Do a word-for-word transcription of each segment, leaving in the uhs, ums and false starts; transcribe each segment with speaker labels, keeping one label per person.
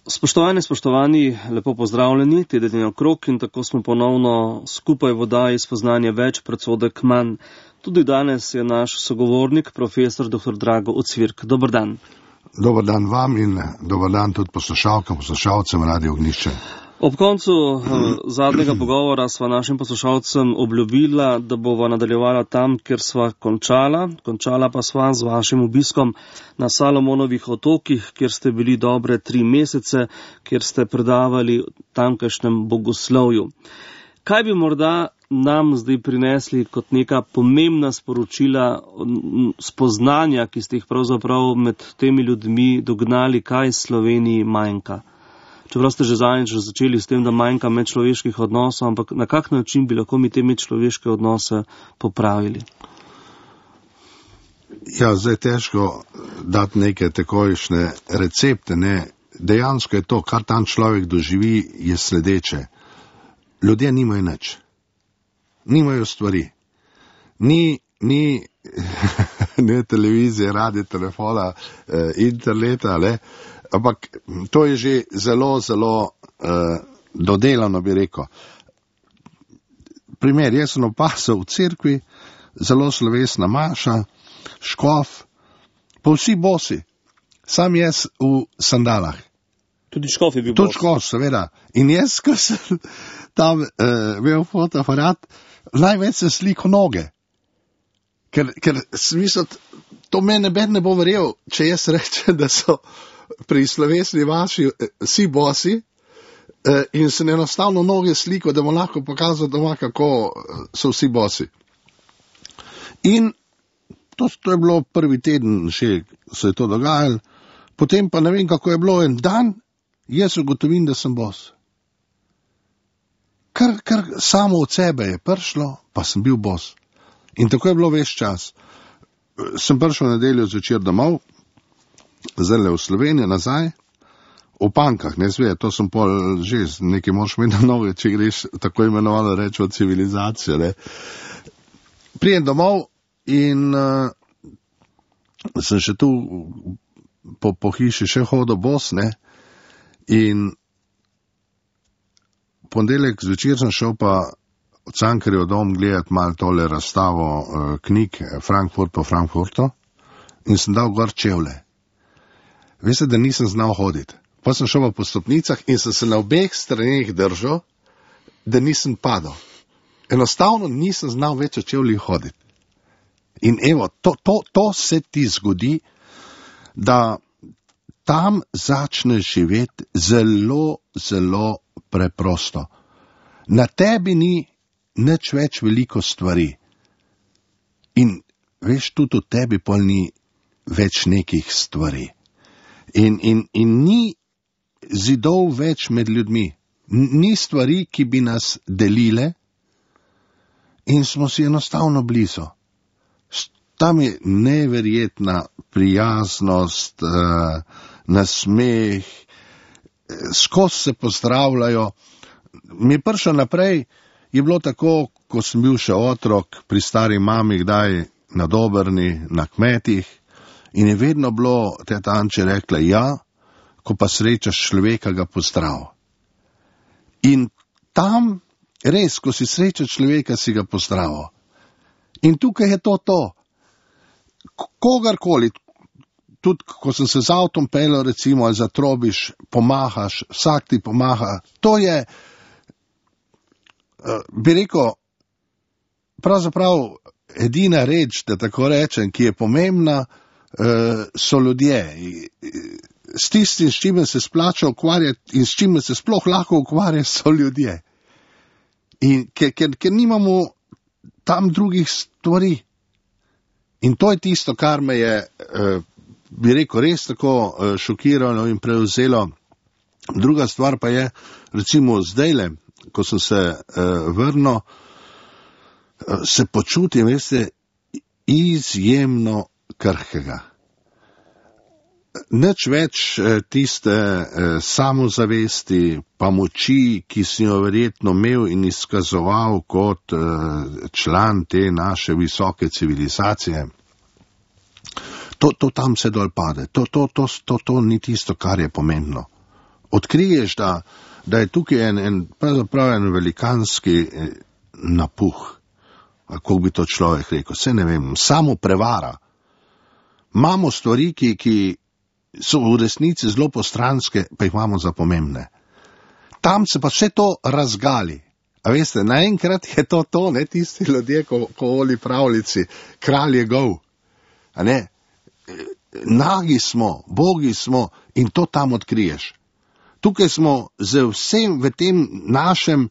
Speaker 1: Spoštovani, spoštovani, lepo pozdravljeni, teden je okrog in tako smo ponovno skupaj v oddaji Spoznanje več, predsodek manj. Tudi danes je naš sogovornik, profesor doktor Drago Ocvirk. Dober dan.
Speaker 2: Dober dan vam in dober dan tudi poslušalkam, poslušalcem Radio Ognjišče.
Speaker 1: Ob koncu eh, zadnjega pogovora sva našim poslušalcem obljubila, da bova nadaljevala tam, kjer sva končala. Končala pa sva z vašim obiskom na Salomonovih otokih, kjer ste bili dobre tri mesece, kjer ste predavali tamkajšnjem bogoslovju. Kaj bi morda nam zdaj prinesli kot neka pomembna sporočila, spoznanja, ki ste jih pravzaprav med temi ljudmi dognali, kaj Sloveniji manjka? Čeprav ste že zadnjič začeli s tem, da manjka medčloveških odnosov, ampak na kak način bi lahko mi te medčloveške odnose popravili?
Speaker 2: Ja, zdaj težko dati neke takojšnje recepte, ne. Dejansko je to, kar tam človek doživi, je sledeče. Ljudje nimajo nič. Nimajo stvari. Ni, ni, ne televizije, radio, telefona, eh, interneta, ne. Ampak to je že zelo, zelo uh, dodelano, bi rekel. Primer, jaz sem opazil v cerkvi, zelo slovesna maša, škof, pa vsi bosi, sam jaz v sandalah.
Speaker 1: Tudi škof je bil
Speaker 2: Tudi
Speaker 1: bos.
Speaker 2: škof, seveda. In jaz, ko sem tam uh, imel fotoaparat, največ sem slikal noge. Ker, ker smisel, to mene ben ne bo verjel, če jaz rečem, da so pri slovesni vaši vsi bosi eh, in se enostavno noge sliko, da mu lahko pokazal doma, kako so vsi bosi. In to, to je bilo prvi teden, še se je to dogajalo, potem pa ne vem, kako je bilo en dan, jaz ugotovim, da sem bos. Kar, kar samo od sebe je prišlo, pa sem bil bos. In tako je bilo ves čas. Sem prišel v nedeljo zvečer domov, zdaj v Slovenijo nazaj, v Pankah, ne zve, to sem pol že, nekaj moraš imeti na noge, če greš tako imenovano reči v civilizacijo, ne. Prijem domov in uh, sem še tu po, po hiši še hodil bos, ne, in ponedeljek zvečer sem šel pa v Cankarjev dom gledati malo tole razstavo uh, knjig Frankfurt po Frankfurtu in sem dal gor čevlje. Veste, da nisem znal hoditi. Pa sem šel po stopnicah in sem se na obeh straneh držal, da nisem padal. Enostavno nisem znal več v čevljih hoditi. In evo, to, to, to se ti zgodi, da tam začneš živeti zelo, zelo preprosto. Na tebi ni nič več veliko stvari. In veš, tudi v tebi pol ni več nekih stvari. In, in, in ni zidov več med ljudmi, ni stvari, ki bi nas delile in smo si enostavno blizu. Tam je neverjetna prijaznost, uh, nasmeh, skozi se pozdravljajo. Mi je prišlo naprej, je bilo tako, ko sem bil še otrok pri stari mami, kdaj na Dobrni, na kmetih, in je vedno bilo, teta Anče rekla, ja, ko pa srečaš človeka, ga pozdrav. In tam, res, ko si srečaš človeka, si ga pozdrav. In tukaj je to to. Kogarkoli, tudi ko sem se z avtom peljal, recimo, ali zatrobiš, pomahaš, vsak ti pomaha, to je, bi rekel, pravzaprav edina reč, da tako rečem, ki je pomembna, so ljudje. S tistim, s čime se splača ukvarjati in s čime se sploh lahko ukvarja, so ljudje. In ker, ker, ker nimamo tam drugih stvari. In to je tisto, kar me je, bi rekel, res tako šokiralo in prevzelo. Druga stvar pa je, recimo zdajle, ko sem se vrnil, se počutim, veste, izjemno krhkega. Nič več tiste samozavesti pa moči, ki si jo verjetno imel in izkazoval kot član te naše visoke civilizacije. To, to tam se dol pade. To, to, to, to, to ni tisto, kar je pomembno. odkriješ, da, da je tukaj en, en, pravzaprav en velikanski napuh, kako bi to človek rekel, se ne vem, samo prevara. Imamo stvari, ki, ki so v resnici zelo postranske, pa jih imamo za pomembne. Tam se pa vse to razgali. A veste, naenkrat je to to, ne tisti ljudje, ko, ko voli pravljici, kralj je gol. A ne, nagi smo, bogi smo in to tam odkriješ. Tukaj smo z vsem v tem našem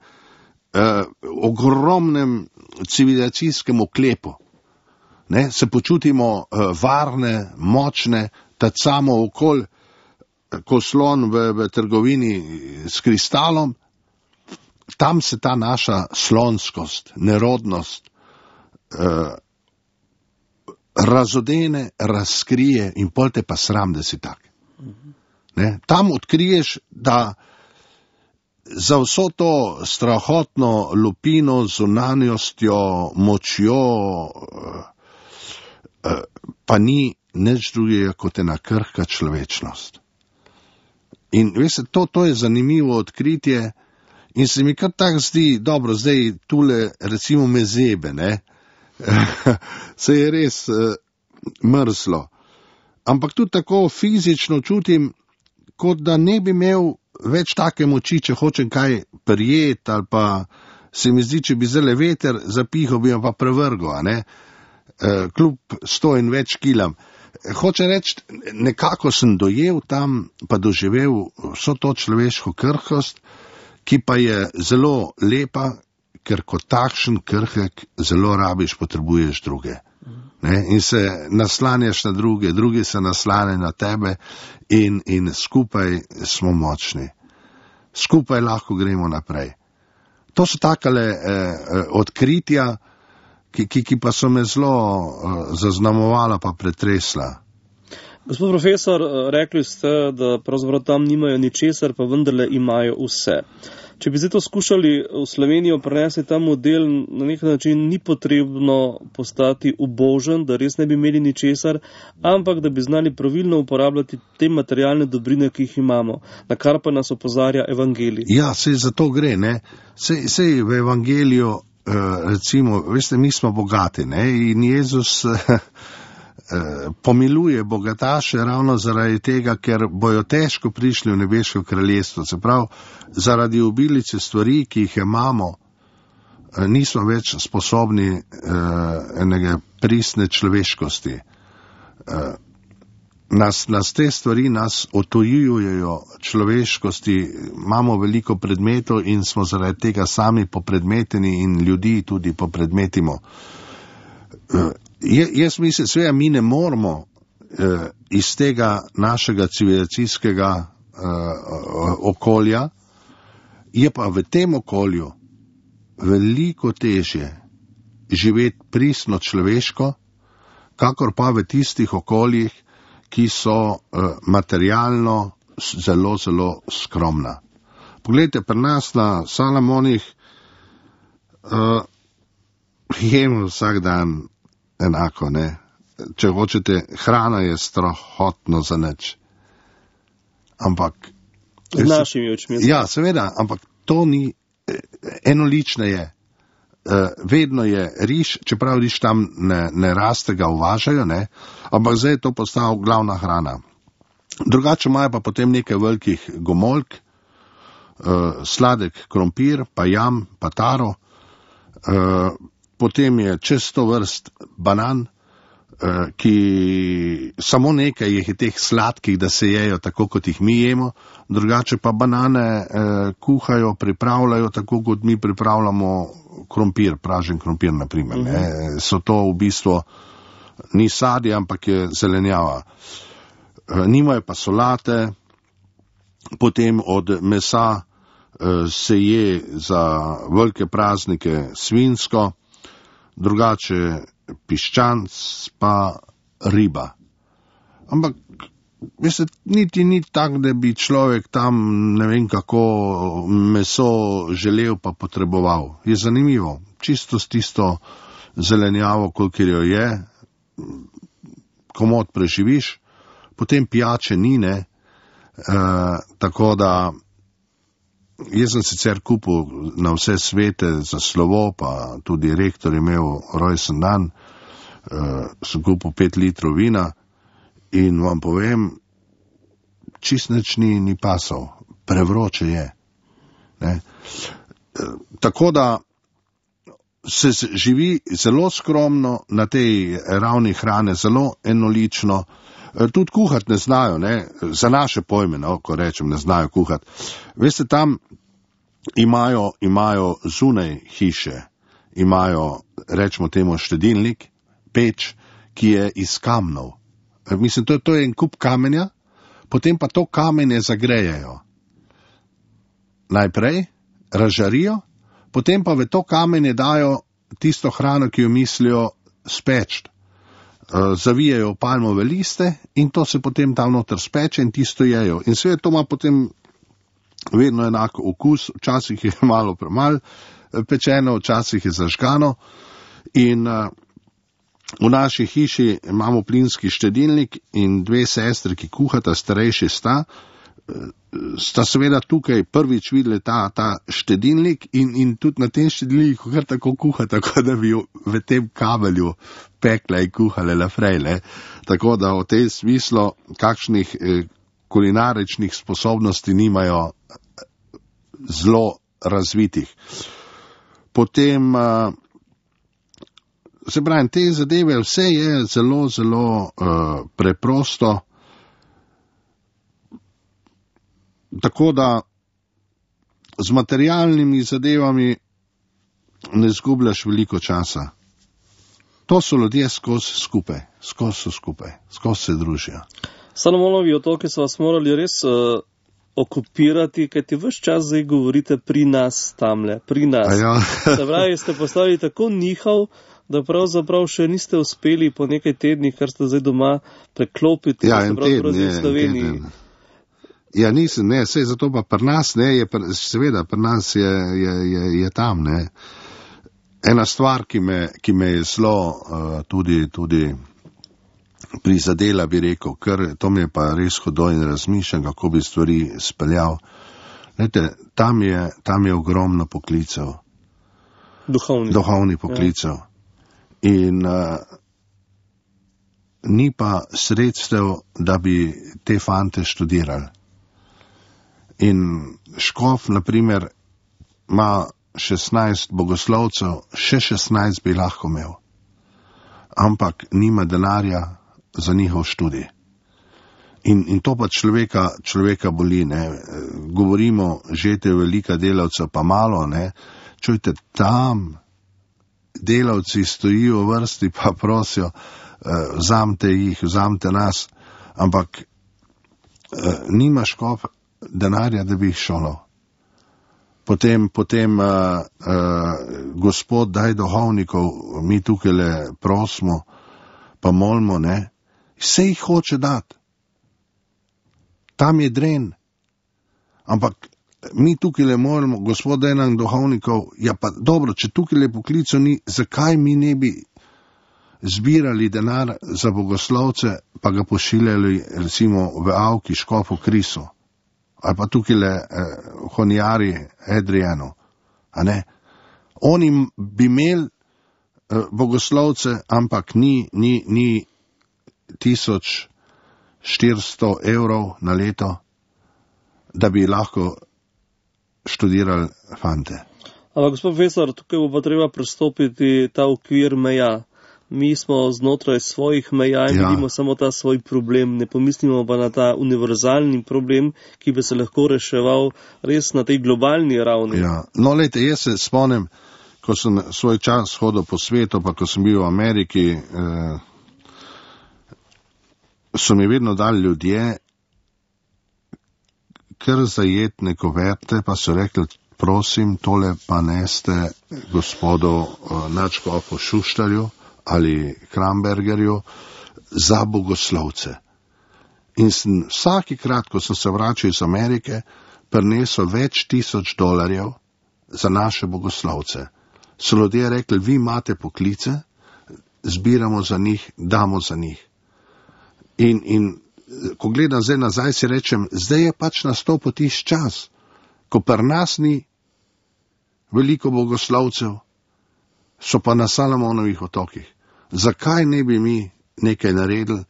Speaker 2: eh, ogromnem civilizacijskem oklepu. Ne, se počutimo eh, varne, močne, tacamo okol, ko slon v, v trgovini s kristalom. Tam se ta naša slonskost, nerodnost eh, razodene, razkrije in pol te pa sram, da si tak. Ne? Tam odkriješ, da za vso to strahotno lupino, zunanjostjo, močjo, eh, eh, pa ni nič drugega kot ena krhka človečnost. In veste, to, to je zanimivo odkritje in se mi kar tak zdi, dobro, zdaj tule recimo mezebe, ne, se je res uh, mrzlo. Ampak tudi tako fizično čutim, kot da ne bi imel več take moči, če hočem kaj prijeti, ali pa se mi zdi, če bi zdaj veter zapihal, bi jo pa prevrgo, a ne, uh, kljub sto in več kilam. Hoče reči, nekako sem dojel tam, pa doživel vso to človeško krhkost, ki pa je zelo lepa, ker kot takšen krhek zelo rabiš, potrebuješ druge. Ne? In se naslanjaš na druge, drugi se naslanjajo na tebe in, in skupaj smo močni. Skupaj lahko gremo naprej. To so takale eh, odkritja, ki, ki, ki pa so me zelo uh, zaznamovala pa pretresla.
Speaker 1: Gospod profesor, rekli ste, da pravzaprav tam nimajo ničesar, pa vendarle imajo vse. Če bi zdaj to skušali v Slovenijo prenesti ta model, na nek način ni potrebno postati ubožen, da res ne bi imeli ničesar, ampak da bi znali pravilno uporabljati te materialne dobrine, ki jih imamo, na kar pa nas opozarja evangelij.
Speaker 2: Ja, sej za to gre, ne. Sej, sej v evangeliju, uh, recimo, veste, mi smo bogati, ne, in Jezus uh, pomiluje bogataše ravno zaradi tega, ker bojo težko prišli v nebeško kraljestvo. Se pravi, zaradi obilice stvari, ki jih imamo, nismo več sposobni uh, enega pristne človeškosti. Uh, nas, nas te stvari nas otojujejo človeškosti, imamo veliko predmetov in smo zaradi tega sami popredmeteni in ljudi tudi popredmetimo. Uh, Je, jaz mislim, seveda mi ne moramo eh, iz tega našega civilizacijskega eh, okolja, je pa v tem okolju veliko težje živeti pristno človeško, kakor pa v tistih okoljih, ki so eh, materialno zelo, zelo skromna. Poglejte, pri nas na Salamonih eh, jemo vsak dan enako, ne. Če hočete, hrana je strahotno za nič. Ampak...
Speaker 1: Z našimi očmi.
Speaker 2: Ja, seveda, ampak to ni, enolične je. Vedno je riž, čeprav riž tam ne, ne raste, ga uvažajo, ne, ampak zdaj je to postalo glavna hrana. Drugače imajo pa potem nekaj velikih gomolk, sladek krompir, pa jam, pa taro, potem je čez sto vrst banan, ki samo nekaj je teh sladkih, da se jejo tako, kot jih mi jemo, drugače pa banane kuhajo, pripravljajo tako, kot mi pripravljamo krompir, pražen krompir, na primer. Ne. So to v bistvu ni sadje, ampak je zelenjava. Nimajo pa solate, potem od mesa se je za velike praznike svinjsko, drugače piščanc pa riba. Ampak, veste, niti ni tak, da bi človek tam ne vem kako meso želel pa potreboval. Je zanimivo, čisto s tisto zelenjavo, kolikor jo je, komot preživiš, potem pijače ni, ne, Uh, tako da jaz sem sicer kupil na vse svete za slovo, pa tudi rektor je imel rojsten dan, uh, sem kupil pet litrov vina in vam povem, čist nič ni, ni pasal, prevroče je. Ne? Uh, tako da se živi zelo skromno na tej ravni hrane, zelo enolično. Tudi kuhati ne znajo, ne? Za naše pojme, no, ko rečem, ne znajo kuhati. Veste, tam imajo, imajo zunaj hiše, imajo, rečemo temu, štedilnik, peč, ki je iz kamnov. Mislim, to, to je en kup kamenja, potem pa to kamenje zagrejejo. Najprej razžarijo, potem pa v to kamenje dajo tisto hrano, ki jo mislijo speč. Zavijajo palmove liste in to se potem tam noter speče in tisto jejo. In sve to ima potem vedno enako okus, včasih je malo premal pečeno, včasih je zažgano. In uh, v naši hiši imamo plinski štedilnik in dve sestri, ki kuhata, starejši sta, sta seveda tukaj prvič videli ta, ta štedilnik in, in tudi na tem štedilniku kar tako kuha, tako da bi v tem kabelju pekla in kuhale lafrejle. Tako da v tem smislu kakšnih eh, kulinaričnih sposobnosti nimajo zelo razvitih. Potem, eh, se pravim, te zadeve, vse je zelo, zelo eh, preprosto. Tako da z materialnimi zadevami ne zgubljaš veliko časa. To so ljudje skozi skupaj, skozi so skupaj, skozi se družijo.
Speaker 1: Salomonovi otoki so vas morali res uh, okupirati, kaj ti ves čas zdaj govorite pri nas tamle, pri nas.
Speaker 2: Ja.
Speaker 1: Se pravi, ste postali tako nihal, da pravzaprav še niste uspeli po nekaj tednih, kar ste zdaj doma, preklopiti.
Speaker 2: Ja, en teden, je, en teden. Ja, nisem, ne, sej zato pa pri nas, ne, je, seveda, pri nas je, je, je, je tam, ne. Ena stvar, ki me, ki me je zelo uh, tudi, tudi prizadela, bi rekel, ker to mi je pa res hodo in razmišljam, kako bi stvari speljal. Lejte, tam je, tam je ogromno poklicev.
Speaker 1: Duhovni.
Speaker 2: Duhovni poklicev. Ja. In uh, ni pa sredstev, da bi te fante študirali. In škof, na primer, ima šestnajst bogoslovcev, še šestnajst bi lahko imel, ampak nima denarja za njihov študij. In, in to pa človeka, človeka boli, ne. Govorimo, žete velika delavca, pa malo, ne. Čujte, tam delavci stojijo v vrsti, pa prosijo, eh, vzamte jih, vzamte nas, ampak eh, nima škof denarja, da bi jih šolal. Potem, potem uh, uh, Gospod, daj duhovnikov, mi tukaj le prosimo, pa molimo, ne, vse jih hoče dati. Tam je dren. Ampak mi tukaj le molimo, Gospod, daj nam duhovnikov, ja pa dobro, če tukaj le poklico ni, zakaj mi ne bi zbirali denar za bogoslovce, pa ga pošiljali recimo v Avki škofu Krisu. Ali pa tukaj le eh, honjari Edrijanu, a ne? Oni bi imeli eh, bogoslovce, ampak ni, ni, ni tisoč štiristo evrov na leto, da bi lahko študirali fante.
Speaker 1: Ampak gospod profesor, tukaj bo pa treba prestopiti ta okvir meja. Mi smo znotraj svojih meja in ja. vidimo samo ta svoj problem, ne pomislimo pa na ta univerzalni problem, ki bi se lahko reševal res na tej globalni ravni.
Speaker 2: Ja. No, lejte, jaz se spomnim, ko sem svoj čas hodil po svetu, pa ko sem bil v Ameriki, eh, so mi vedno dali ljudje kar zajetne koverte, pa so rekli, prosim, tole pa neste gospodu eh, nadškofu Šuštarju ali Krambergerju za bogoslovce. In sem vsakikrat, ko sem se vračal iz Amerike, prinesel več tisoč dolarjev za naše bogoslovce. So ljudje rekli, vi imate poklice, zbiramo za njih, damo za njih. In, in ko gledam zdaj nazaj, si rečem, zdaj je pač nastopil tisti čas, ko pri nas ni veliko bogoslovcev, so pa na Salomonovih otokih. Zakaj ne bi mi nekaj naredili,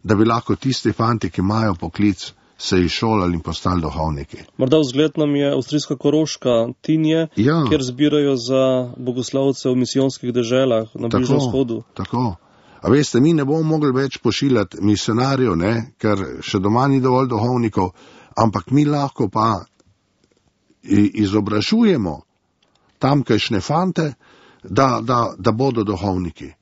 Speaker 2: da bi lahko tisti fanti, ki imajo poklic, se izšolali in postali duhovniki?
Speaker 1: Morda vzgled nam je avstrijska Koroška, Tinje,
Speaker 2: ja.
Speaker 1: Kjer zbirajo za bogoslovce v misijonskih deželah na Bližnjem vzhodu.
Speaker 2: Tako. A veste, mi ne bomo mogli več pošiljati misionarjev, ne, ker še doma ni dovolj duhovnikov, ampak mi lahko pa izobražujemo tamkajšnje fante, da, da, da bodo duhovniki.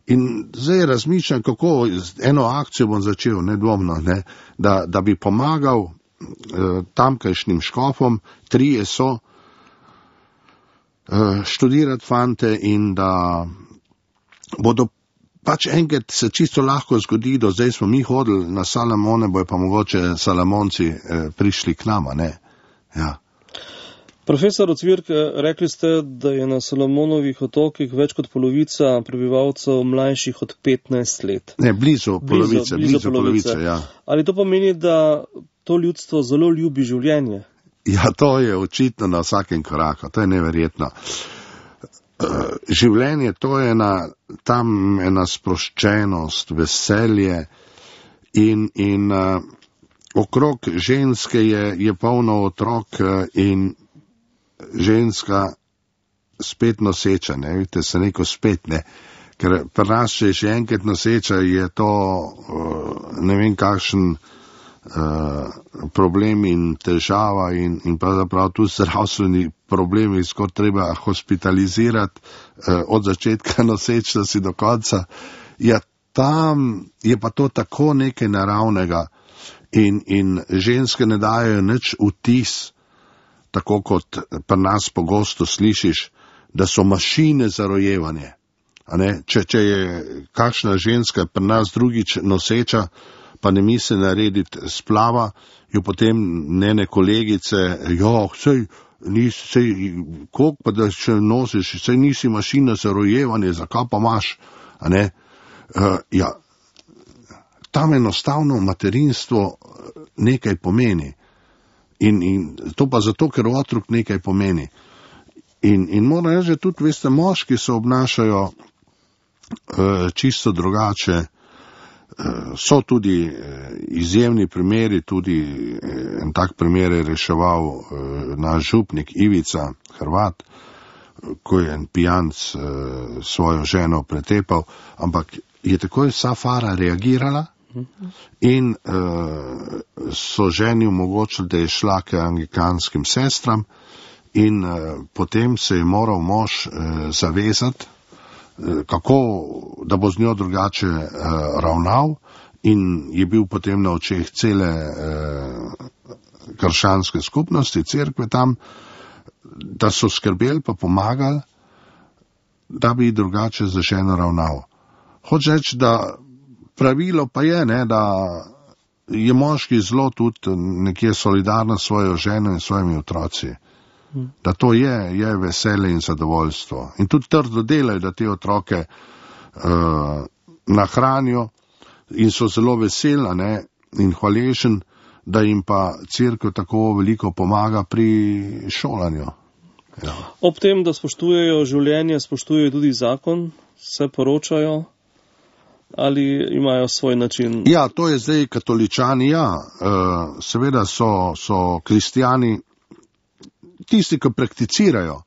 Speaker 2: In zdaj razmišljam, kako eno akcijo bom začel, nedvomno, ne, da, da bi pomagal eh, tamkajšnjim škofom, trije so, eh, študirati fante in da bodo pač enkrat se čisto lahko zgodi, do zdaj smo mi hodili na Salomone, bojo pa mogoče Salomonci eh, prišli k nama, ne. Ja.
Speaker 1: Profesor Ocvirk, rekli ste, da je na Salomonovih otokih več kot polovica prebivalcev mlajših od petnajst let.
Speaker 2: Ne, blizu polovice, blizu, blizu, blizu polovice, polovice, ja.
Speaker 1: Ali to pomeni, da to ljudstvo zelo ljubi življenje?
Speaker 2: Ja, to je očitno na vsakem koraku, to je neverjetno. Življenje, to je ena, tam ena sproščenost, veselje in, in uh, okrog ženske je, je polno otrok in ženska spet noseča, ne, vidite, se neko spet, ne, ker pri nas, če je še enkrat noseča, je to uh, ne vem kakšen uh, problem in težava in, in pravzaprav tu zdravstveni problemi, skoro treba hospitalizirati uh, od začetka nosečnosti do konca. Ja, tam je pa to tako nekaj naravnega in, in ženske ne dajo nič vtis, tako kot pri nas pogosto slišiš, da so mašine za rojevanje. A ne? Če, če je kakšna ženska pri nas drugič noseča, pa ne misli narediti splava, jo potem njene kolegice, jo, sej, nisi, sej, koliko pa da še nosiš, sej nisi mašina za rojevanje, zakaj pa imaš? A ne? Uh, ja, tam enostavno materinstvo nekaj pomeni. In, in to pa zato, ker otrok nekaj pomeni. In, in moram reči, že tudi, veste, moški se obnašajo uh, čisto drugače. Uh, so tudi uh, izjemni primeri, tudi uh, en tak primer je reševal uh, naš župnik Ivica Hrvat, ko je en pijanc uh, svojo ženo pretepal, ampak je takoj Safara reagirala, in uh, so ženi omogočili, da je šla k anglikanskim sestram in uh, potem se je moral mož uh, zavezati, uh, kako, da bo z njo drugače uh, ravnal in je bil potem na očeh cele uh, krščanske skupnosti, cerkve tam, da so skrbeli pa pomagali, da bi drugače za ženo ravnal. Hoče reči, da pravilo pa je, ne, da je moški zelo tudi nekje solidarno s svojo ženo in svojimi otroci. Da to je, je veselje in zadovoljstvo. In tudi trdo delajo, da te otroke uh, nahranijo in so zelo vesela, ne, in hvaležen, da jim pa cerkev tako veliko pomaga pri šolanju. Ja.
Speaker 1: Ob tem, da spoštujejo življenje, spoštujejo tudi zakon, se poročajo. Ali imajo svoj način?
Speaker 2: Ja, to je zdaj katoličani, ja. Uh, seveda so, so kristijani, tisti, ki prakticirajo,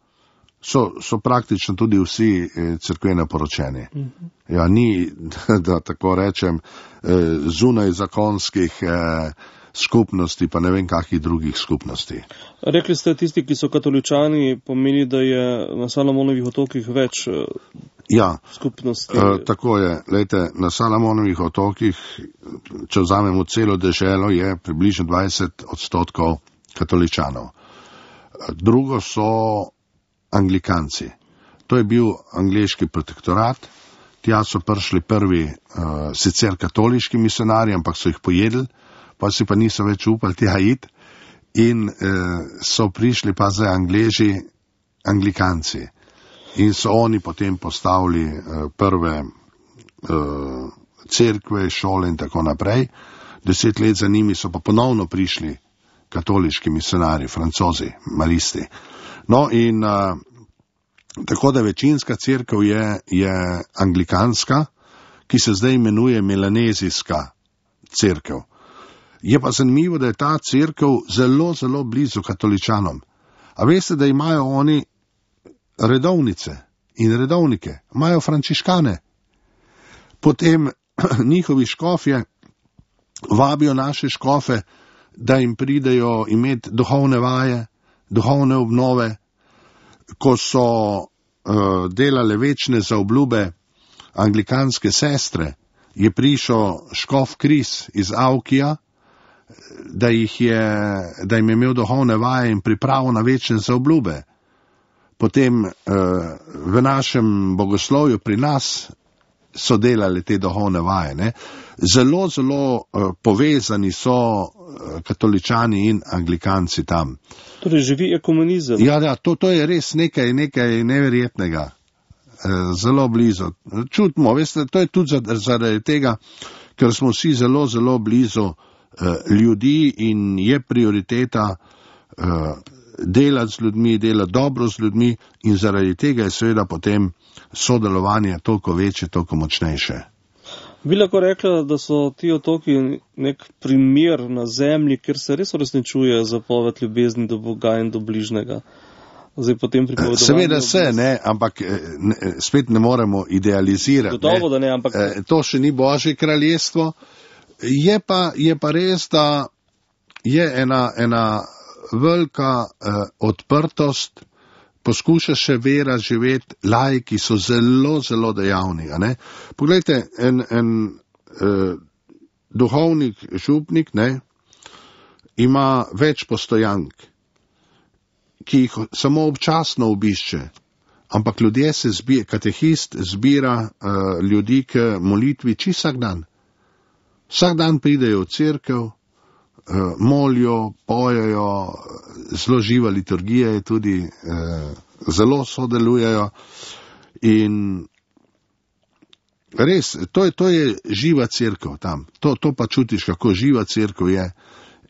Speaker 2: so, so praktično tudi vsi eh, cerkveno poročeni. Uh-huh. Ja, ni, da, da tako rečem, eh, zunaj zakonskih eh, skupnosti, pa ne vem kakih drugih skupnosti.
Speaker 1: Rekli ste, tisti, ki so katoličani, pomeni, da je na Salomonovih otokih več eh,
Speaker 2: ja,
Speaker 1: skupnosti.
Speaker 2: Uh, tako je. Lejte, na Salomonovih otokih, če vzamemo celo deželo, je približno dvajset odstotkov katoličanov. Drugo so anglikanci. To je bil angleški protektorat. Tja so prišli prvi uh, sicer katoliški misionarji, ampak so jih pojedli, pa si pa niso več upali tja iti. In uh, so prišli pa zdaj Angleži, anglikanci. In so oni potem postavili uh, prve uh, cerkve, šole in tako naprej. deset let za njimi so pa ponovno prišli katoliški misionari, francozi, maristi. No in uh, tako da večinska cerkev je, je anglikanska, ki se zdaj imenuje melanezijska cerkev. Je pa zanimivo, da je ta cerkev zelo, zelo blizu katoličanom. A veste, da imajo oni redovnice in redovnike, imajo frančiškane. Potem njihovi škofje vabijo naše škofe, da jim pridejo imeti duhovne vaje, duhovne obnove. Ko so uh, delale večne zaobljube anglikanske sestre, je prišel škof Kris iz Aukija, da, jih je, da jim je imel duhovne vaje in pripravo na večne zaobljube. Potem uh, v našem bogoslovju pri nas so delali te duhovne vaje. Ne? Zelo, zelo uh, povezani so uh, katoličani in anglikanci tam.
Speaker 1: Torej živi ekumenizem.
Speaker 2: Ja, ja to, to je res nekaj, nekaj neverjetnega. Uh, zelo blizu. Čutimo, veste, to je tudi zaradi tega, ker smo vsi zelo, zelo blizu uh, ljudi in je prioriteta uh, delati z ljudmi, delati dobro z ljudmi in zaradi tega je seveda potem sodelovanje toliko večje, toliko močnejše.
Speaker 1: Bi lahko rekla, da so ti otoki nek primer na zemlji, kjer se res uresničuje zapoved ljubezni do Boga in do bližnjega. Zdaj potem pripovedovanje.
Speaker 2: Seveda se, ne, ampak ne, spet ne moremo idealizirati.
Speaker 1: Gotovo, da ne, ampak.
Speaker 2: To še ni Božje kraljestvo. Je pa, je pa res, da je ena, ena velika eh, odprtost, poskuša še vera živeti, laiki so zelo, zelo dejavni. Ne? Poglejte, en, en eh, duhovnik, župnik, ne, ima več postojank, ki jih samo občasno obišče, ampak ljudje se zbira, katehist zbira eh, ljudi k molitvi čisto vsak dan. Vsak dan pridejo v cerkev, molijo, pojejo, zelo živa liturgija je tudi, eh, zelo sodelujejo in res, to je, to je živa cerkev tam, to, to pa čutiš, kako živa cerkev je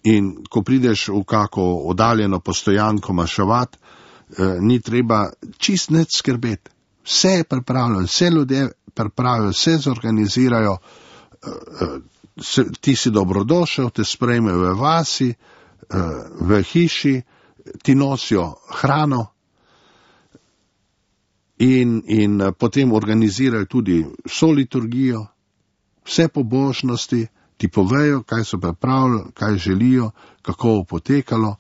Speaker 2: in ko prideš v kako oddaljeno postojanko maševat, eh, ni treba čist nič skrbeti, vse je pripravljeno, vse ljudje pripravijo, vse zorganizirajo, eh, Se, ti si dobrodošel, te sprejmejo v vasi, v hiši, ti nosijo hrano in, in potem organizirajo tudi vso liturgijo, vse pobožnosti, ti povejo, kaj so pripravili, kaj želijo, kako bo potekalo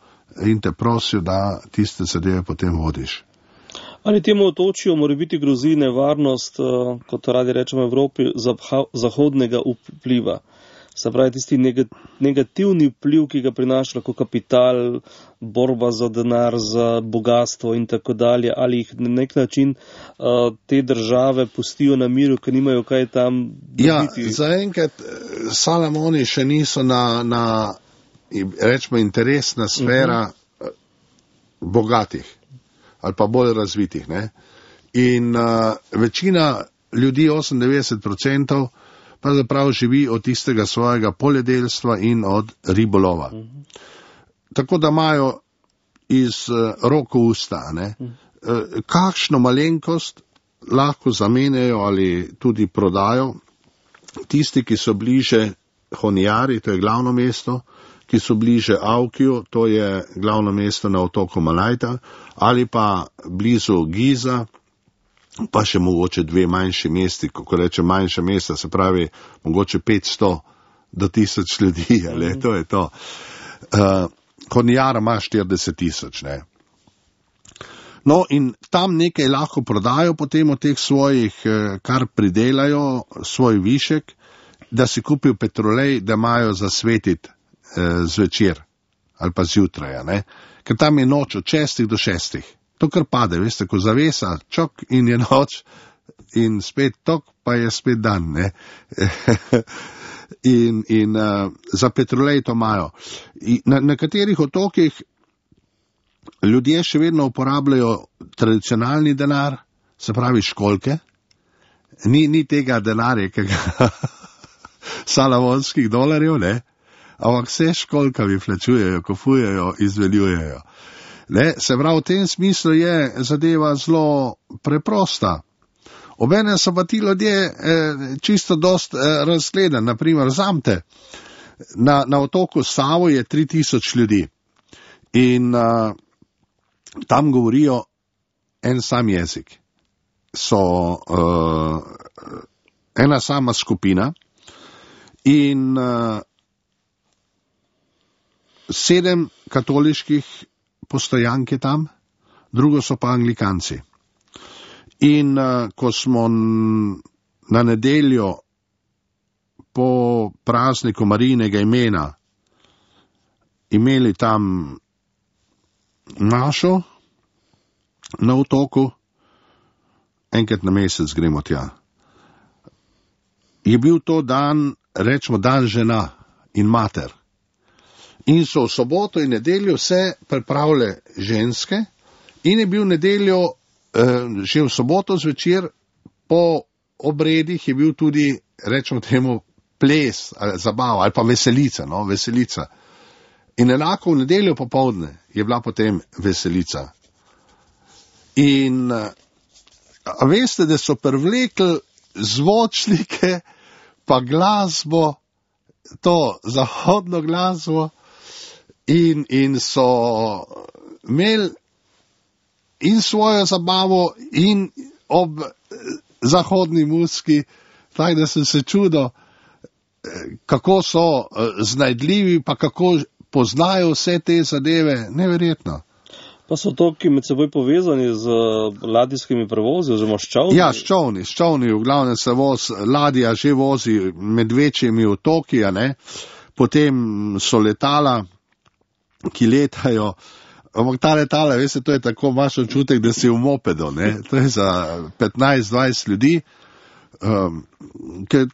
Speaker 2: in te prosijo, da tiste zadeve potem vodiš.
Speaker 1: Ali temu otočju mora biti grozi nevarnost, kot radi rečemo v Evropi, zahodnega vpliva? Se pravi, tisti negativni vpliv, ki ga prinaša lahko kapital, borba za denar, za bogatstvo in tako dalje, ali jih na nek način uh, te države pustijo na miru, ker nimajo kaj tam dobiti?
Speaker 2: Ja, zaenkrat Salomoni še niso na, na rečemo, interesna sfera uh-huh. bogatih ali pa bolj razvitih. Ne? In uh, večina ljudi, osemindevetdeset odstotkov, pa zapravo živi od tistega svojega poljedelstva in od ribolova. Uh-huh. Tako da imajo iz uh, roko usta, ne? Uh-huh. Uh, kakšno malenkost lahko zamenjajo ali tudi prodajo tisti, ki so bliže Honjari, to je glavno mesto, ki so bliže Aukiju, to je glavno mesto na otoku Malajta, ali pa blizu Giza, pa še mogoče dve manjši mesti, kako reče manjša mesta, se pravi mogoče petsto do tisoč ljudi, ali to je to. Uh, Honjara ima štirideset tisoč, ne. No in tam nekaj lahko prodajo potem od teh svojih, kar pridelajo, svoj višek, da si kupijo petrolej, da imajo zasvetiti eh, zvečer ali pa zjutraj, ne. Ker tam je noč od šestih do šestih. To kar pade, veste, ko zavesa, čok in je noč in spet tok, pa je spet dan, ne. in in uh, za petrolej to imajo. Na nekaterih otokih ljudje še vedno uporabljajo tradicionalni denar, se pravi školjke, ni, ni tega denarja, ki ga salamonskih dolarjev, ne, ampak vse školkavi plačujejo, kupujejo, izveljujejo. Ne, se pravi, v tem smislu je zadeva zelo preprosta. Obene so pa ti ljudje eh, čisto dost eh, razgledani. Naprimer, zamte, na, na otoku Savo je tri tisoč ljudi in uh, tam govorijo en sam jezik. So uh, ena sama skupina in uh, sedem katoliških postojank je tam, drugo so pa anglikanci. In uh, ko smo na nedeljo po prazniku Marijinega imena imeli tam našo na otoku, enkrat na mesec gremo tja. Je bil to dan, rečemo, dan žena in mater. In so v soboto in nedeljo vse pripravile ženske in je bil nedeljo, eh, že v soboto zvečer, po obredih je bil tudi, rečemo temu, ples, ali zabava, ali pa veselica, no, veselica. In enako v nedeljo popoldne je bila potem veselica. In a veste, da so privlekli zvočnike, pa glasbo, to zahodno glasbo, in, in so imeli in svojo zabavo in ob zahodni muski, tako da sem se čudo, kako so znajdljivi, pa kako poznajo vse te zadeve, neverjetno.
Speaker 1: Pa so otoki med seboj povezani z ladijskimi prevozi, oziroma s čovni?
Speaker 2: Ja, s čovni, s čovni, v glavnem se voz, ladja že vozi med večjimi otoki, a ne, potem so letala, ki letajo, ampak ta letala, veste, to je tako, imaš občutek, da si v mopedu, ne, to je za petnajst dvajset ljudi, um, ker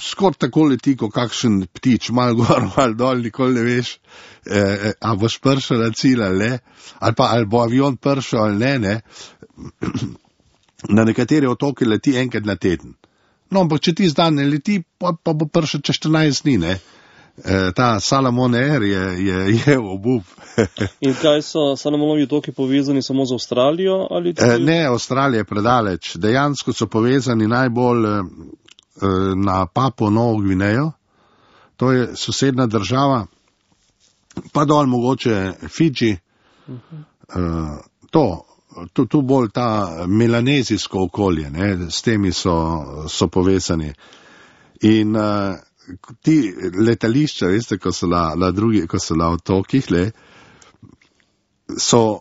Speaker 2: skor tako leti, kot kakšen ptič, malo gor, malo dol, nikoli ne veš, eh, a boš prišel na cilj ali ne, ali pa ali bo avion prišel ali ne, ne. Na nekatere otoke leti enkrat na teden. No, ampak če ti zdaj ne leti, pa, pa bo prišel čez štirinajst dni, ne. E, ta Salomon Air je, je, je obup.
Speaker 1: In kaj so Salomonovi otoki povezani samo z Avstralijo? Ali tudi...
Speaker 2: e, ne, Avstralija je predaleč. Dejansko so povezani najbolj e, na Papuo Novo Gvinejo, to je sosedna država, pa dol mogoče Fidži, uh-huh. e, to, tu, tu bolj ta melanezijsko okolje, ne, s temi so, so povezani. In e, ti letališča, veste, ko so na, na drugi, ko so na otokih, le, so,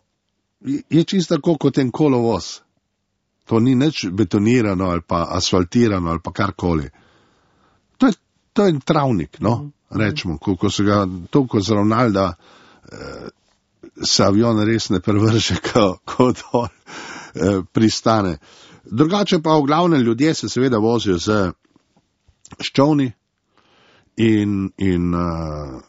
Speaker 2: je čisto tako kot en kolovoz. To ni nič betonirano ali pa asfaltirano ali pa karkoli. To je, to je travnik, no, rečemo, ko, ko so ga toliko zravnali, da eh, se avion res ne prevrže, ko, ko dol eh, pristane. Drugače pa v glavnem ljudje se seveda vozijo z ščovni, In, in uh,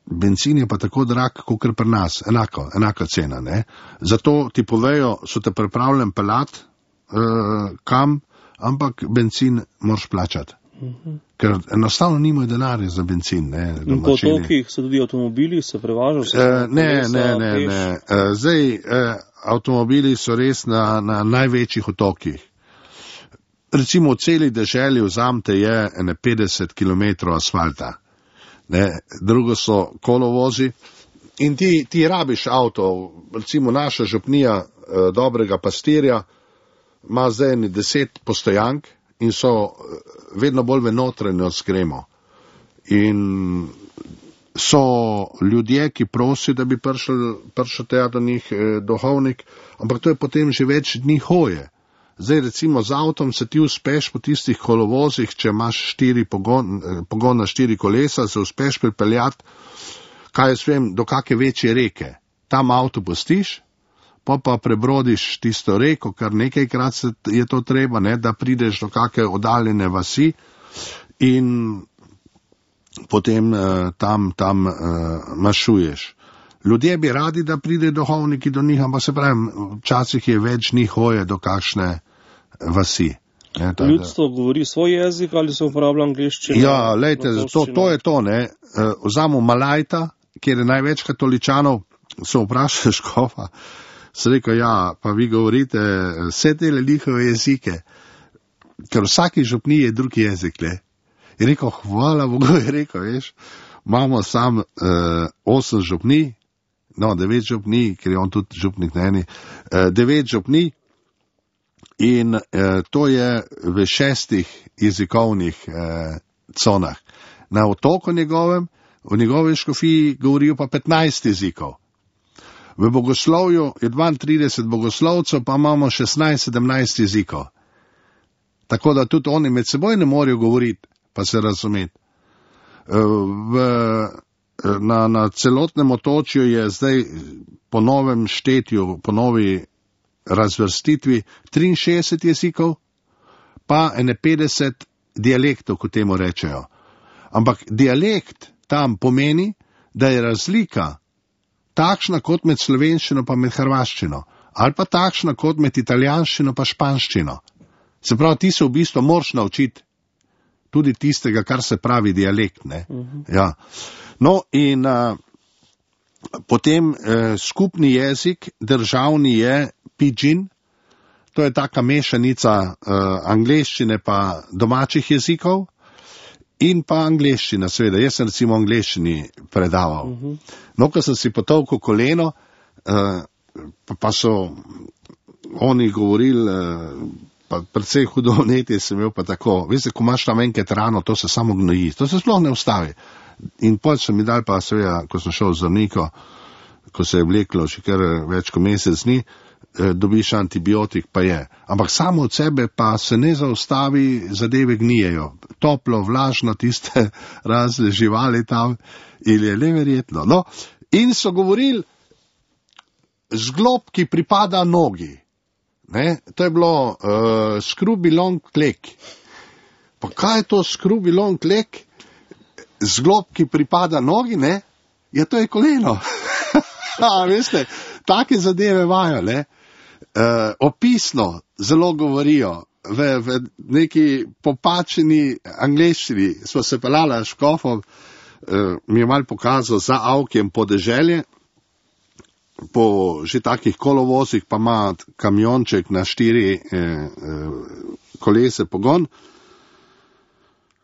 Speaker 2: benzin je pa tako drag, kot pri nas, enako, enaka cena, ne. Zato ti povejo, so te pripravljen pelat uh, kam, ampak benzin moraš plačati. Uh-huh. Ker enostavno nimajo denarja za benzin, ne.
Speaker 1: In po otokih so tudi avtomobili, se prevažajo? Se
Speaker 2: uh, ne, ne, ne, ne. Uh, zdaj, uh, avtomobili so res na, na največjih otokih. Recimo v celi deželi vzamte je ene petdeset kilometrov asfalta, ne, drugo so kolovozi in ti, ti rabiš avto, recimo naša župnija eh, dobrega pastirja ima zdaj eni deset postojank in so vedno bolj v notranjost gremo. In so ljudje, ki prosijo, da bi prišel, prišel tja do njih eh, duhovnik, ampak to je potem že več dni hoje. Zdaj recimo z avtom se ti uspeš po tistih kolovozih, če imaš štiri pogon, pogon na štiri kolesa, se uspeš pripeljati, kaj jaz vem, do kakve večje reke. Tam avto pustiš, pa pa prebrodiš tisto reko, kar nekajkrat je to treba, ne, da prideš do kakve oddaljene vasi in potem uh, tam, tam uh, mašuješ. Ljudje bi radi, da pride duhovniki do njih, ampak se pravim, včasih je več njih hoje do kakšne vasi. Ne, ta,
Speaker 1: Ljudstvo govori svoj jezik ali se uporablja angleščina?
Speaker 2: Ja, lejte, to, to je to, ne. Vzamo Malajta, kjer je največ katoličanov, so vprašali škofa, so rekel, ja, pa vi govorite vse te njihove jezike, ker vsaki župni je drugi jezik, le. Je rekel, hvala Bogu, je rekel, veš, imamo sam uh, osem župni, no, devet župni, ker je on tudi župnik na eni, uh, devet župni in uh, to je v šestih jezikovnih uh, conah. Na otoku njegovem, v njegovi škofiji govorijo pa petnajst jezikov. V bogoslovju je dvaintrideset bogoslovcev, pa imamo šestnajst sedemnajst jezikov. Tako da tudi oni med seboj ne morejo govoriti, pa se razumeti. V, na, na celotnem otočju je zdaj po novem štetju, po novi razvrstitvi triinšestdeset jezikov, pa ene petdeset dialektov, kot temu rečejo. Ampak dialekt tam pomeni, da je razlika takšna kot med slovenščino pa med hrvaščino, ali pa takšna kot med italijanščino pa španščino. Se pravi, ti se v bistvu moraš naučiti tudi tistega, kar se pravi dialekt, ne. Uh-huh. Ja. No in uh, potem uh, skupni jezik državni je pidžin, to je taka mešanica uh, angleščine pa domačih jezikov in pa angleščina, seveda. Jaz sem recimo angleščini predaval. Uh-huh. No, ko sem si potolkel koleno, uh, pa, pa so oni govorili, uh, pa predvsej hudo vnetje sem imel pa tako. Veste, ko imaš tam enkrat rano, to se samo gnoji, to se sploh ne ustavi. In potem so mi dali pa seveda, ko sem šel z zdravnikom, ko se je vleklo še kar več kot mesec dni, eh, dobiš antibiotik, pa je. Ampak samo od sebe pa se ne zaustavi, zadeve gnijejo. Toplo, vlažno, tiste razne živali tam, ili je neverjetno. No, in so govorili, zglob, ki pripada nogi. Ne? To je bilo uh, skrubi long leg. Pa kaj je to skrubi long leg? Zglob, ki pripada nogi, ne? Ja, to je koleno. A, veste, take zadeve vajo, ne? Uh, opisno zelo govorijo. V, v neki popačeni angleščini smo se pelala s škofom, uh, mi je mal pokazal za Avkjem podeželje, po že takih kolovozih pa ima kamionček na štiri eh, eh, kolese pogon.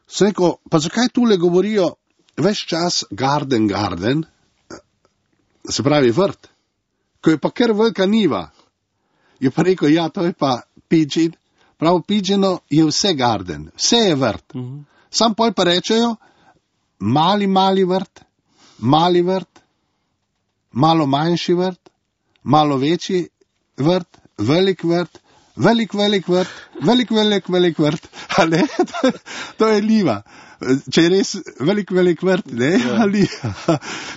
Speaker 2: Seko, pa zakaj tule govorijo ves čas garden, garden, se pravi vrt, ko je pa kar velika niva. Je pa rekel, ja, to je pa pidžin, prav pidžino je vse garden, vse je vrt. Mm-hmm. Sam pol pa rečejo, mali, mali vrt, mali vrt, malo manjši vrt, malo večji vrt, velik vrt, velik, velik vrt, velik, velik, velik vrt, a ne, to, to je liva. Če je res velik, velik vrt, ne, ja. Ali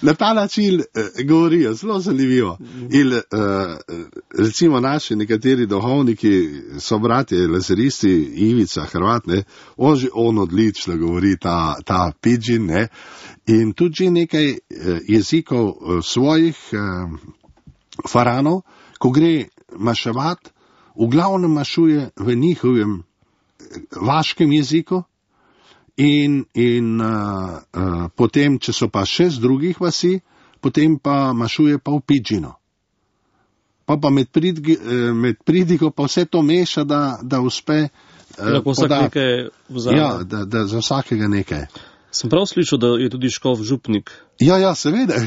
Speaker 2: na ta način eh, govorijo, zelo zanimivo. In eh, recimo naši nekateri duhovniki so bratje lazeristi, Ivica, Hrvat, ne, on že on odlično govori ta, ta pidžin, ne, in tudi nekaj eh, jezikov eh, svojih eh, faranov, ko gre maševat, v glavnem mašuje v njihovem vaškem jeziku. In, in uh, uh, potem, če so pa še z drugih vasi, potem pa mašuje pa v pidžino. Pa pa med, pridgi, uh, med pridigo pa vse to meša, da, da uspe uh, podati. Ja, da, da za vsakega nekaj.
Speaker 1: Sem prav slišal, da je tudi škof župnik.
Speaker 2: Ja, ja, seveda.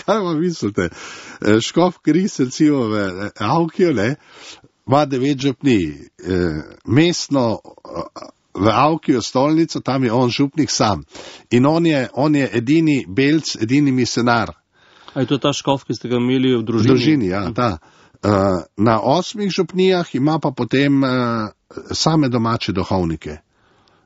Speaker 2: Kaj vam mislite? Škof Kris, recimo v Avkiju, ne, ima devet župni. Uh, mestno uh, v Avkiju stolnico, tam je on župnik sam. In on je, on je edini belc, edini misionar.
Speaker 1: A je to ta škof, ki ste ga imeli v družini?
Speaker 2: V družini, ja, ta. Uh, na osmih župnijah ima pa potem uh, same domače duhovnike.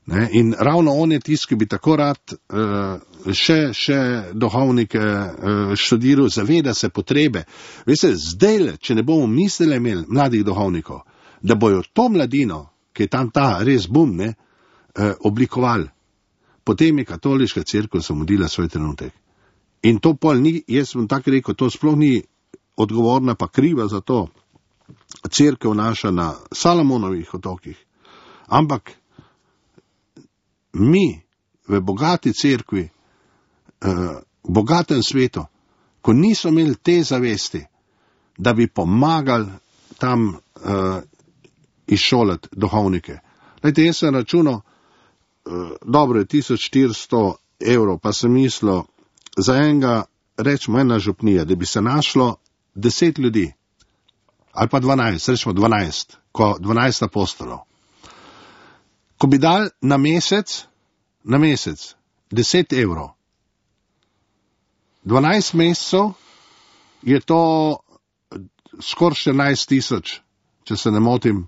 Speaker 2: Ne? In ravno on je tisti, ki bi tako rad uh, še, še duhovnike uh, študiral, zaveda se potrebe. Veste, zdaj, če ne bomo mislili imeli mladih duhovnikov, da bojo to mladino, ki je tam ta res bum, ne, eh, oblikovali. Potem je katoliška cerkev zamudila svoj trenutek. In to pol ni, jaz sem tako rekel, to sploh ni odgovorna pa kriva za to cerkev naša na Salomonovih otokih, Ampak mi v bogati cerkvi, v bogatem svetu, ko niso imeli te zavesti, da bi pomagali tam uh, izšolati duhovnike. Lejte, jaz sem računal, uh, dobro je tisoč štiristo evrov, pa sem mislil, za enega, rečemo ena župnija, da bi se našlo deset ljudi, ali pa dvanajst, rečemo dvanajst, ko dvanajst apostolov. Ko bi dal na mesec, na mesec, deset evrov, dvanajst mesecev je to skoraj štirinajst tisoč, če se ne motim.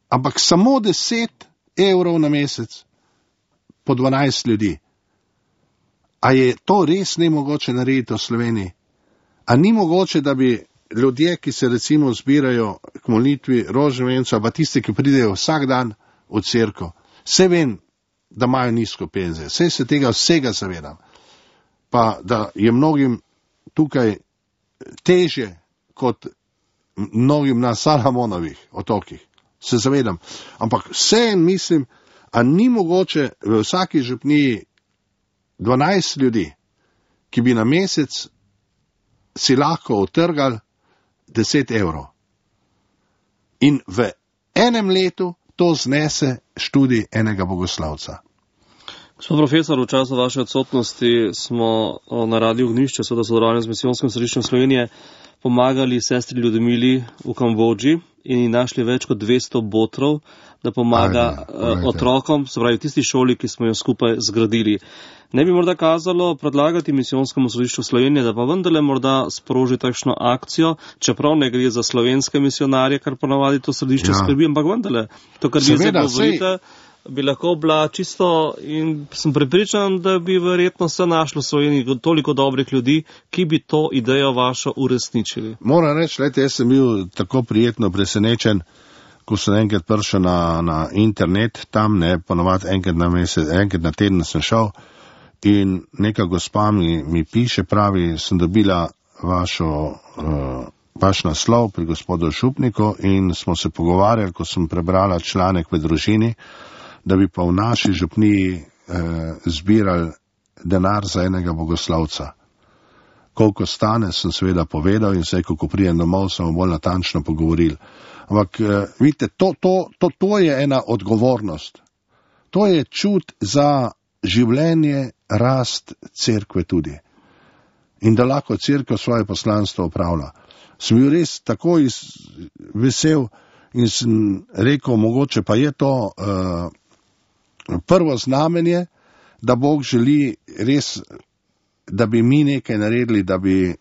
Speaker 2: Ampak samo deset evrov na mesec po dvanajst ljudi. A je to res nemogoče narediti v Sloveniji? A ni mogoče, da bi ljudje, ki se recimo zbirajo k molitvi rožnovenca, pa tisti, ki pridejo vsak dan v cerkev, se vem, da imajo nizko penzije, vse se tega vsega zavedam, pa da je mnogim tukaj teže kot mnogim na Salamonovih otokih, se zavedam. Ampak vse mislim, a ni mogoče v vsaki župniji dvanajst ljudi, ki bi na mesec si lahko utrgali deset evrov. In v enem letu to znese študij enega bogoslavca.
Speaker 1: Gospod profesor, v času vaše odsotnosti smo na Radiu Ognjišče, seveda sodelovanje z Misijonskim središčem Slovenije, pomagali sestri Ljudmili v Kambodži in ji našli več kot dvesto botrov, da pomaga Ajde, otrokom, se pravi tisti šoli, ki smo jo skupaj zgradili. Ne bi morda kazalo predlagati Misijonskem središču Slovenije, da pa vendarle morda sproži takšno akcijo, čeprav ne gre za slovenske misionarje, kar ponavadi to središče ja. skrbi, ampak vendarle, to, kar vi zdaj govorite, bi lahko bila čisto in sem prepričan, da bi verjetno se našlo v Sloveniji toliko dobrih ljudi, ki bi to idejo vašo uresničili.
Speaker 2: Moram reči, lejte, jaz sem bil tako prijetno presenečen, ko sem enkrat prišel na, na internet, tam ne, ponovadi enkrat na mesec, enkrat na teden sem šel in neka gospa mi, mi piše, pravi, sem dobila vašo, uh, vaš naslov pri gospodu Župniku in smo se pogovarjali, ko sem prebrala članek v družini, da bi pa v naši župniji eh, zbirali denar za enega bogoslavca. Koliko stane, sem seveda povedal in vse, ko prijem domov, smo bolj natančno pogovorili. Ampak, eh, vidite, to, to, to, to je ena odgovornost. To je čut za življenje, rast cerkve tudi. In da lahko cerkev svoje poslanstvo opravlja. Sem bil res tako iz, vesel in sem rekel, mogoče pa je to uh, prvo znamenje, da Bog želi res, da bi mi nekaj naredili, da bi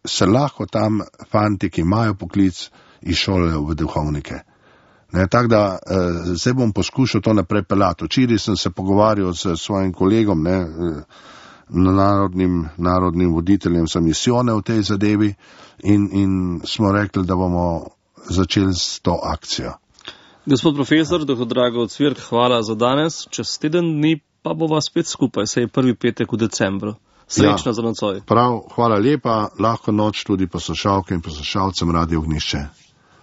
Speaker 2: se lahko tam fanti, ki imajo poklic, izšolajo v duhovnike. Tako da eh, zdaj bom poskušal to naprej pelati. Včeraj sem se pogovarjal s svojim kolegom, ne, narodnim, narodnim voditeljem za misijone v tej zadevi in, in smo rekli, da bomo začeli s to akcijo.
Speaker 1: Gospod profesor, doktor Drago Cvirk, hvala za danes. Čez teden dni pa bova spet skupaj, saj je prvi petek v decembru. Srečno ja, za nocoj.
Speaker 2: Prav, hvala lepa, lahko noč tudi poslušalke in poslušalcem Radia Ognjišče.